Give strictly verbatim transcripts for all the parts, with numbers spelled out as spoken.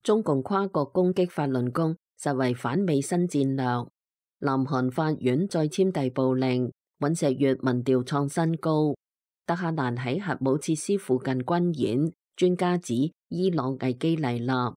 中共跨國攻擊法輪功，實為反美新戰略。南韓法院再簽逮捕令，尹錫悅民調創新高。德黑蘭喺核武設施附近軍演，專家指伊朗危機嚟臨。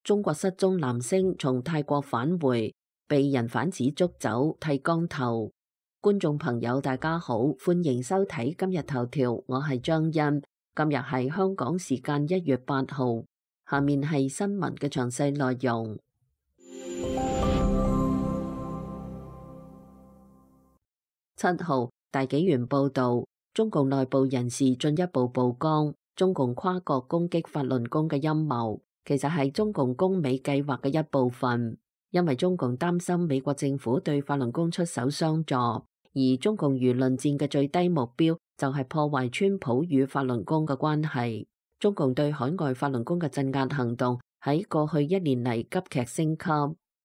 中國失蹤男星從泰國返回，被人販子捉走剃光頭。觀眾朋友大家好，歡迎收睇今日頭條，我係張欣。今日係香港時間一月八號，下面係新聞嘅詳細內容。七號，大紀元報道，中共內部人士進一步曝光，中共跨國攻擊法輪功嘅陰謀，其實係中共攻美計劃嘅一部分。因為中共擔心美國政府對法輪功出手相助，而中共輿論戰嘅最低目標就係破壞川普與法輪功嘅關係。中共對海外法輪功嘅鎮壓行動喺過去一年嚟急劇升級。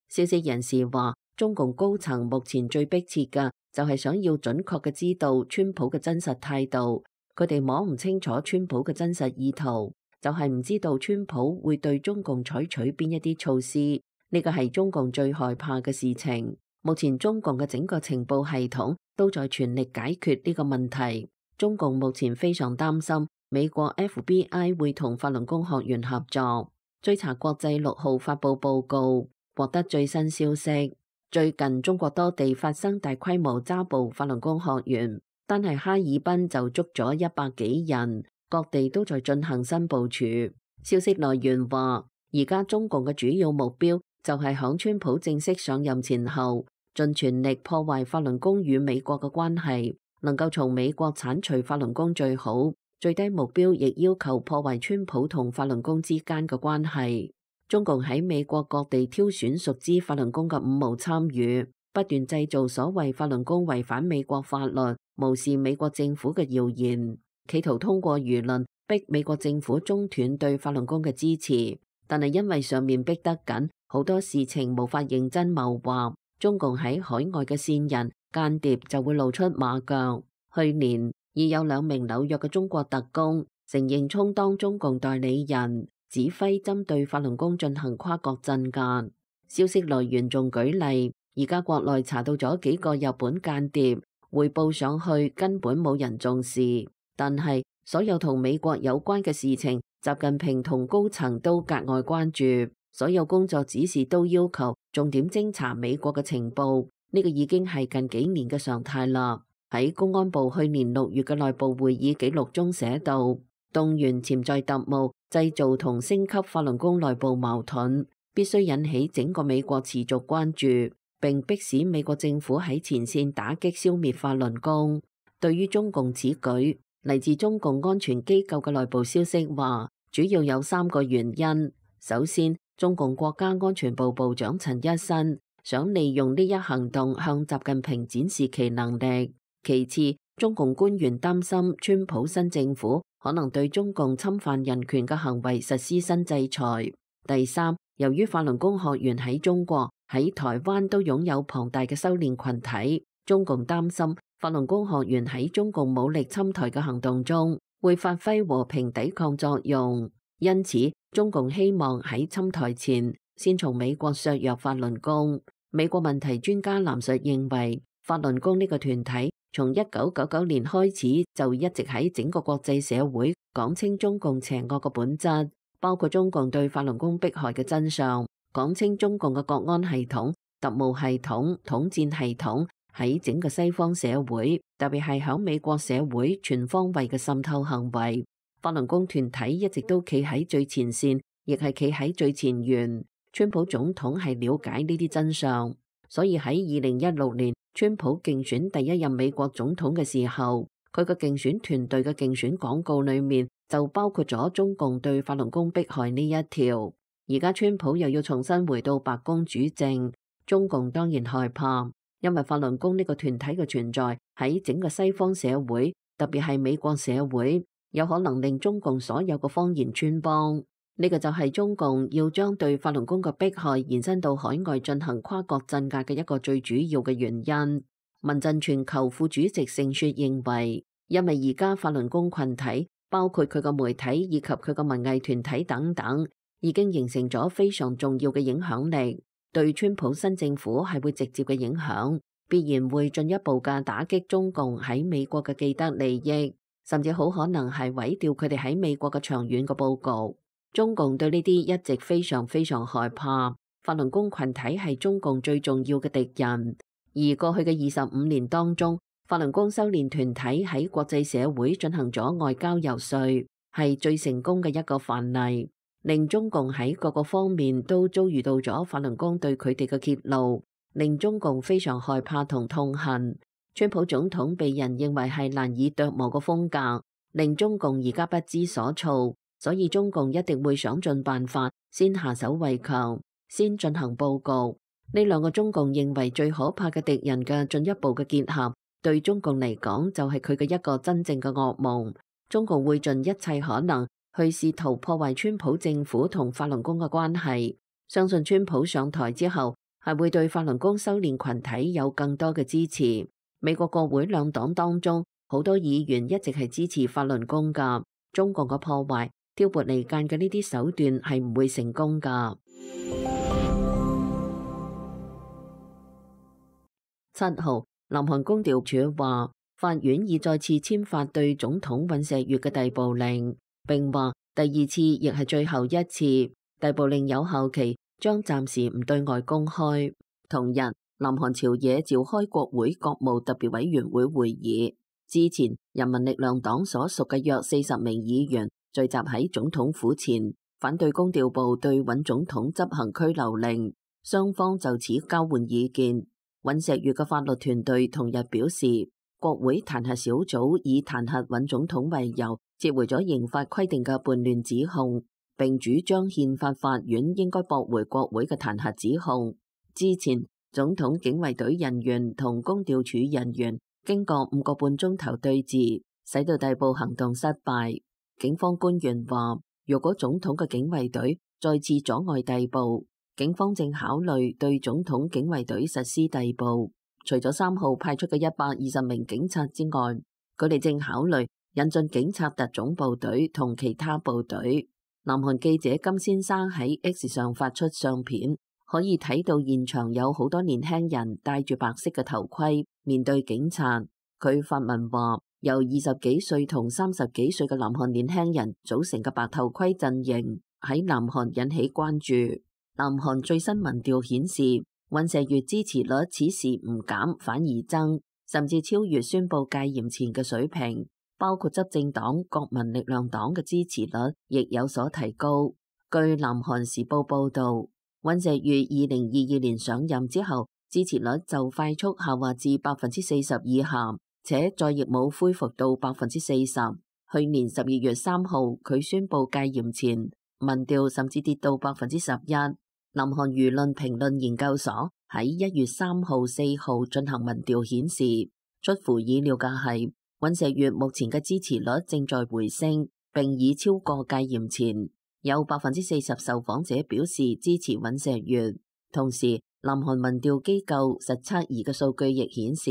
消息人士話，中共高層目前最迫切嘅就係想要準確嘅知道川普嘅真實態度。佢哋摸唔清楚川普嘅真實意圖，就係唔知道川普會對中共採取邊一啲措施。呢個係中共最害怕嘅事情。目前中共嘅整個情報系統都在全力解決呢個問題。中共目前非常擔心美國 F B I 會同法輪功學員合作。追查國際六號發佈報告，獲得最新消息。最近中國多地發生大規模抓捕法輪功學員，單係哈爾濱就捉咗一百幾人，各地都在進行新部署。消息來源話，而家中共嘅主要目標就係響川普正式上任前後，盡全力破壞法輪功與美國嘅關係，能夠從美國剷除法輪功最好。最低目標亦要求破壞川普同法輪功之間嘅關係。中共喺美國各地挑選熟知法輪功嘅五毛參與，不斷製造所謂法輪功違反美國法律、無視美國政府嘅謠言，企圖通過輿論逼美國政府中斷對法輪功嘅支持。但係因為上面逼得緊，好多事情無法認真謀劃，中共喺海外嘅線人間諜就會露出馬腳。去年已有兩名紐約嘅中國特工承認充當中共代理人，指揮針對法輪功進行跨國鎮壓。消息來源仲舉例，而家國內查到咗幾個日本間諜，匯報上去根本冇人重視。但係所有同美國有關嘅事情，習近平同高層都格外關注，所有工作指示都要求重點偵查美國嘅情報，呢個已經係近幾年嘅常態啦。喺公安部去年六月嘅內部會議記錄中寫到，動員潛在特務，製造同升級法輪功內部矛盾，必須引起整個美國持續關注，並迫使美國政府喺前線打擊消滅法輪功。對於中共此舉，嚟自中共安全機構嘅內部消息話，主要有三個原因。首先，中共國家安全部部長陳一新想利用呢一行動向習近平展示其能力。其次，中共官員擔心川普新政府可能對中共侵犯人權嘅行為實施新制裁。第三，由於法輪功學員喺中國、喺台灣都擁有龐大嘅修煉群體，中共擔心法輪功學員喺中共武力侵台嘅行動中會發揮和平抵抗作用，因此中共希望喺侵台前先從美國削弱法輪功。美國問題專家藍述認為，法輪功呢個團體從一九九九年開始就一直喺整個國際社會講清中共邪惡嘅本質，包括中共對法輪功迫害嘅真相，講清中共嘅國安系統、特務系統、統戰系統喺整個西方社會，特別係響美國社會全方位嘅滲透行為。法輪功團體一直都企喺最前線，亦係企喺最前沿。川普總統係了解呢啲真相，所以喺二零一六年川普競選第一任美國總統嘅時候，佢嘅競選團隊嘅競選廣告裏面就包括咗中共對法輪功迫害呢一條。而家川普又要重新回到白宮主政，中共當然害怕，因為法輪功呢個團體嘅存在喺整個西方社會，特別係美國社會，有可能令中共所有嘅謊言穿幫。呢個就係中共要將對法輪功嘅迫害延伸到海外進行跨國鎮壓嘅一個最主要嘅原因。民陣全球副主席盛雪認為，因為而家法輪功群體包括佢個媒體以及佢個文藝團體等等，已經形成咗非常重要嘅影響力，對川普新政府係會直接嘅影響，必然會進一步嘅打擊中共喺美國嘅既得利益，甚至好可能係毀掉佢哋喺美國嘅長遠嘅佈局。中共對呢啲一直非常非常害怕，法輪功群體係中共最重要嘅敵人。而過去嘅二十五年當中，法輪功修煉團體喺國際社會進行咗外交遊說，係最成功嘅一個範例，令中共喺各個方面都遭遇到咗法輪功對佢哋嘅揭露，令中共非常害怕同痛恨。川普總統被人認為係難以琢磨嘅風格，令中共而家不知所措。所以中共一定會想盡辦法，先下手為強，先進行佈局。呢兩個中共認為最可怕嘅敵人嘅進一步嘅結合，對中共嚟講就係佢嘅一個真正嘅噩夢。中共會盡一切可能去試圖破壞川普政府同法輪功嘅關係。相信川普上台之後，係會對法輪功修煉群體有更多嘅支持。美國國會兩黨當中，好多議員一直係支持法輪功㗎。中共嘅破壞、挑撥離間嘅呢啲手段係唔會成功㗎。七號，南韓公調處話，法院已再次簽發對總統尹錫悅嘅逮捕令，並話第二次亦係最後一次。逮捕令有效期將暫時唔對外公開。同日，南韓朝野召開國會國務特別委員會會議，之前人民力量黨所屬嘅約四十名議員聚集喺總統府前，反對公調部對尹總統執行拘留令。雙方就此交換意見。尹錫悅嘅法律團隊同日表示，國會彈劾小組以彈劾尹總統為由，撤回咗刑法規定嘅叛亂指控，並主張憲法法院應該駁回國會嘅彈劾指控。之前，總統警衛隊人員同公調處人員經過五個半鐘頭對峙，使到逮捕行動失敗。警方官員話，如果總統嘅警衛隊再次阻礙逮捕，警方正考慮對總統警衛隊實施逮捕。除咗三號派出嘅一百二十名警察之外，佢哋正考慮引進警察特種部隊同其他部隊。南韓記者金先生喺 X 上發出相片，可以睇到現場有好多年輕人戴住白色嘅頭盔面對警察。佢發文話，由二十幾歲同三十幾歲嘅南韓年輕人組成嘅白頭盔陣營喺南韓引起關注。南韓最新民調顯示，尹錫悅支持率此時唔減反而增，甚至超越宣布戒嚴前嘅水平。包括執政黨國民力量黨嘅支持率亦有所提高。據南韓時報報道，尹錫悅二零二二年上任之後，支持率就快速下滑至百分之四十以下，且再亦冇恢復到百分之四十。去年十二月三號，佢宣布戒嚴前，民調甚至跌到百分之十一。南韓輿論評論研究所喺一月三號、四號進行民調顯示，出乎意料嘅係，尹錫悅目前嘅支持率正在回升，並已超過戒嚴前。有百分之四十受訪者表示支持尹錫悅。同時，南韓民調機構實測儀嘅數據亦顯示，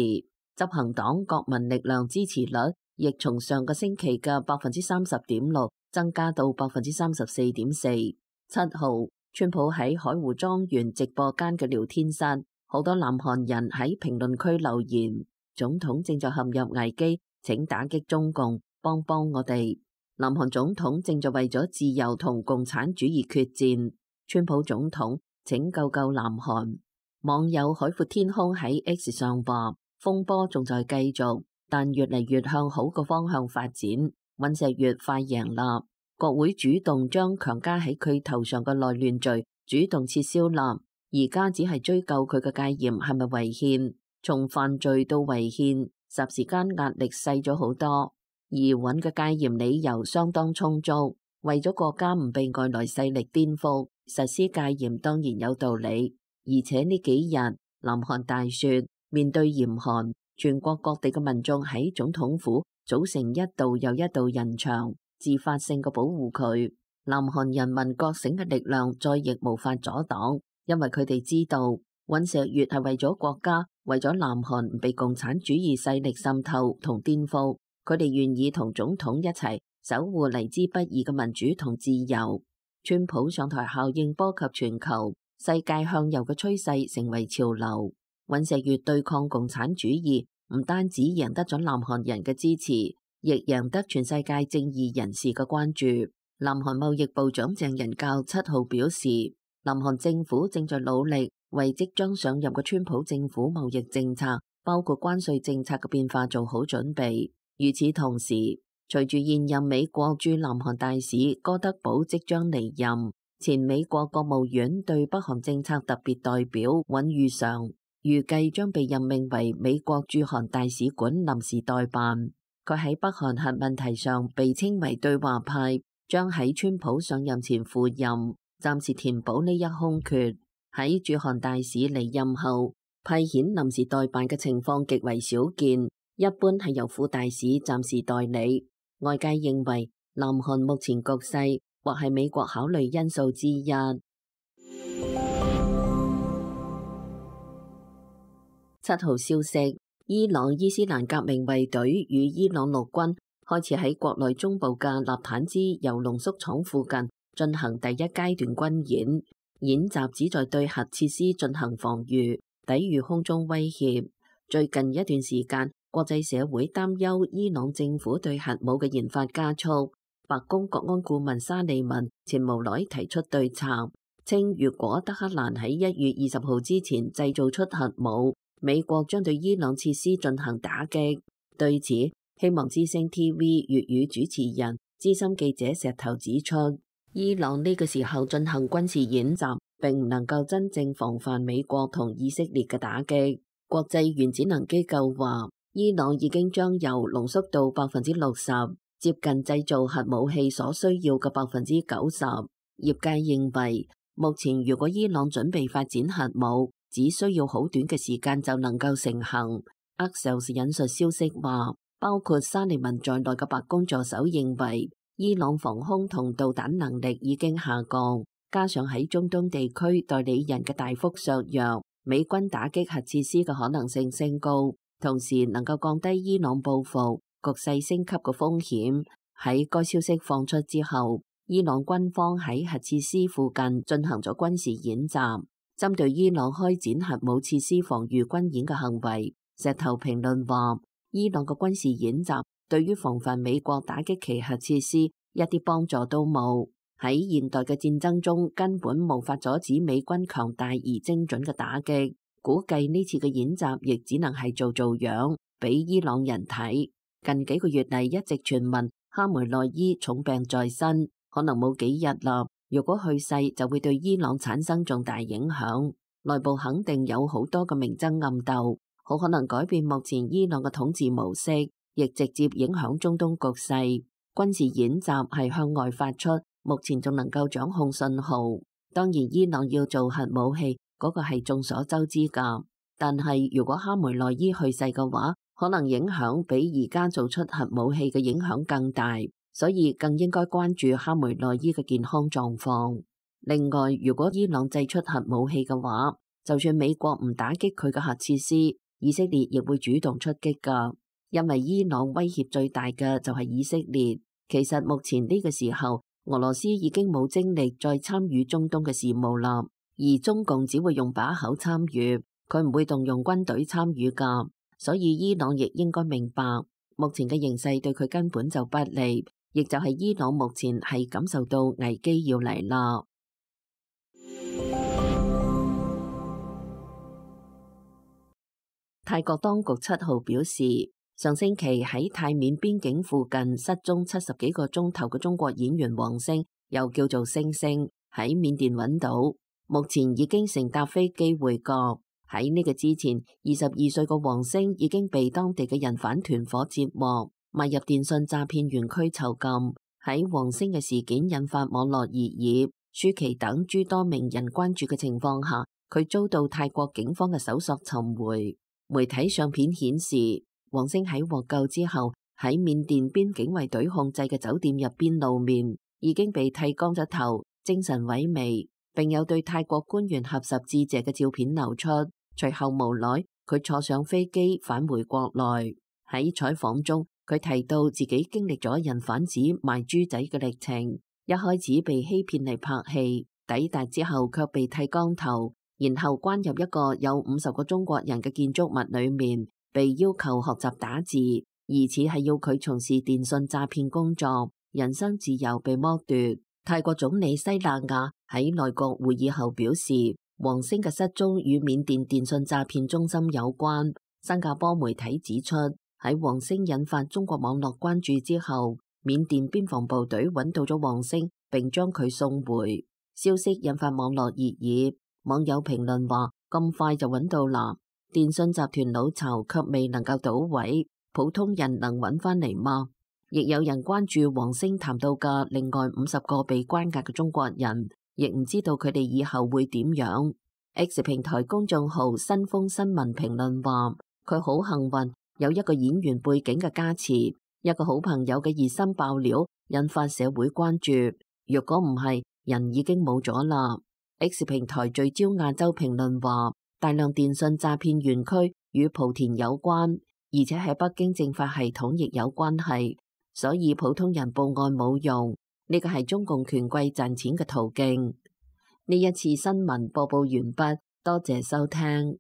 執行黨國民力量支持率亦從上個星期嘅百分之三十點六增加到百分之三十四點四。七號，川普喺海湖莊園直播間嘅聊天室，好多南韓人喺評論區留言：總統正在陷入危機，請打擊中共，幫幫我哋。南韓總統正在為咗自由同共產主義決戰，川普總統請救救南韓。網友海闊天空喺 X 上話：風波仲在繼續，但越嚟越向好個方向發展。尹錫悅快贏啦！國會主動將強加喺佢頭上嘅內亂罪主動撤銷啦，而家只係追究佢嘅戒嚴係咪違憲，從犯罪到違憲，霎時間壓力細咗好多。而尹嘅戒嚴理由相當充足，為咗國家唔被外來勢力顛覆，實施戒嚴當然有道理。而且呢幾日南韓大雪，面對嚴寒，全國各地嘅民眾喺總統府組成一道又一道人牆，自發性嘅保護佢。南韓人民覺醒嘅力量再亦無法阻擋，因為佢哋知道尹錫悅係為咗國家，為咗南韓唔被共產主義勢力滲透同顛覆，佢哋願意同總統一齊守護嚟之不易嘅民主同自由。川普上台效應波及全球，世界向右嘅趨勢成為潮流。尹錫悅對抗共產主義，唔單止贏得咗南韓人嘅支持，亦贏得全世界正義人士嘅關注。南韓貿易部長鄭仁教七號表示，南韓政府正在努力為即將上任嘅川普政府貿易政策，包括關稅政策嘅變化做好準備。與此同時，隨住現任美國駐南韓大使哥德堡即將離任，前美國國務院對北韓政策特別代表尹裕常預計將被任命為美國駐韓大使館臨時代辦。佢喺北韓核問題上被稱為對話派，將喺川普上任前赴任，暫時填補呢一空缺。喺駐韓大使離任後，派遣臨時代辦嘅情況極為少見，一般係由副大使暫時代理。外界認為南韓目前局勢或係美國考慮因素之一。七號消息，伊朗伊斯蘭革命衛隊與伊朗陸軍開始喺國內中部嘅納坦茲鈾濃縮廠附近進行第一階段軍演。演習旨在對核設施進行防禦，抵禦空中威脅。最近一段時間，國際社會擔憂伊朗政府對核武嘅研發加速。白宮國安顧問沙利文前無奈提出對策，稱如果德黑蘭喺一月二十號之前製造出核武，美國將對伊朗設施進行打擊。對此，希望之聲 T V 粵語主持人資深記者石頭指出，伊朗呢個時候進行軍事演習，並唔能夠真正防範美國同以色列嘅打擊。國際原子能機構話，伊朗已經將鈾濃縮到百分之六十，接近製造核武器所需要嘅百分之九十。業界認為，目前如果伊朗準備發展核武，只需要好短嘅時間就能夠成行。Axios 引述消息話，包括沙利文在內嘅白宮助手認為，伊朗防空同導彈能力已經下降，加上喺中東地區代理人嘅大幅削弱，美軍打擊核設施嘅可能性升高，同時能夠降低伊朗報復局勢升級嘅風險。喺該消息放出之後，伊朗軍方喺核設施附近進行咗軍事演習，針對伊朗開展核武設施防禦軍演嘅行為，石頭評論話，伊朗嘅軍事演習對於防範美國打擊其核設施一啲幫助都冇。喺現代嘅戰爭中，根本無法阻止美軍強大而精準嘅打擊。估計呢次嘅演習亦只能係做做樣，俾伊朗人睇。近幾個月嚟一直傳聞哈梅內伊重病在身，可能冇幾日啦。如果去世，就會對伊朗產生重大影響。內部肯定有好多嘅明爭暗鬥，好可能改變目前伊朗嘅統治模式，亦直接影響中東局勢。軍事演習係向外發出，目前仲能夠掌控信號。當然，伊朗要做核武器，嗰個係眾所周知噶。但係如果哈梅內伊去世嘅話，可能影響比而家做出核武器嘅影響更大，所以更應該關注哈梅內伊嘅健康狀況。另外，如果伊朗製出核武器嘅話，就算美國唔打擊佢嘅核設施，以色列亦會主動出擊噶。因為伊朗威脅最大嘅就係以色列。其實目前呢個時候，俄羅斯已經冇精力再參與中東嘅事務啦，而中共只會用把口參與，佢唔會動用軍隊參與噶。所以伊朗亦應該明白，目前嘅形勢對佢根本就不利，亦就係伊朗目前係感受到危機要嚟啦。泰國當局七號表示，上星期喺泰緬邊境附近失蹤七十幾個鐘頭嘅中國演員王星，又叫做星星，喺緬甸揾到，目前已經乘搭飛機回國。喺呢個之前，二十二歲嘅王星已經被當地嘅人販團伙截獲，賣入電信詐騙園區囚禁。喺王星嘅事件引發網絡熱議，舒淇等諸多名人關注嘅情況下，佢遭到泰國警方嘅搜索尋回。媒體相片顯示，王星喺獲救之後，喺緬甸邊境衛隊控制嘅酒店入邊露面，已經被剃光咗頭，精神萎靡，並有對泰國官員合十致謝嘅照片流出。隨後無奈，佢坐上飛機返回國內。喺採訪中，佢提到自己經歷咗人販子賣豬仔嘅歷程，一開始被欺騙嚟拍戲，抵達之後卻被剃光頭，然後關入一個有五十個中國人嘅建築物裏面，被要求學習打字，疑似係要佢從事電信詐騙工作，人身自由被剝奪。泰國總理西納亞喺內閣會議後表示，王星嘅失蹤與緬甸電信詐騙中心有關。新加坡媒體指出，喺王星引發中國網絡關注之後，緬甸邊防部隊揾到咗王星，並將佢送回。消息引發網絡熱議，網友評論話：咁快就揾到啦！電信集團老巢卻未能夠搗毀，普通人能揾翻嚟嗎？亦有人關注王星談到嘅另外五十個被關押嘅中國人，亦唔知道佢哋以後會點樣。X 平台公眾號新風新聞評論話：佢好幸運，有一個演員背景嘅加持，一個好朋友嘅熱心爆料，引發社會關注。若果唔係，人已經冇咗啦。X 平台聚焦亞洲評論話：大量電信詐騙園區與莆田有關，而且喺北京政法系統亦有關係，所以普通人報案冇用，呢個係中共權貴賺錢嘅途徑。呢一次新聞播報完畢，多謝收聽。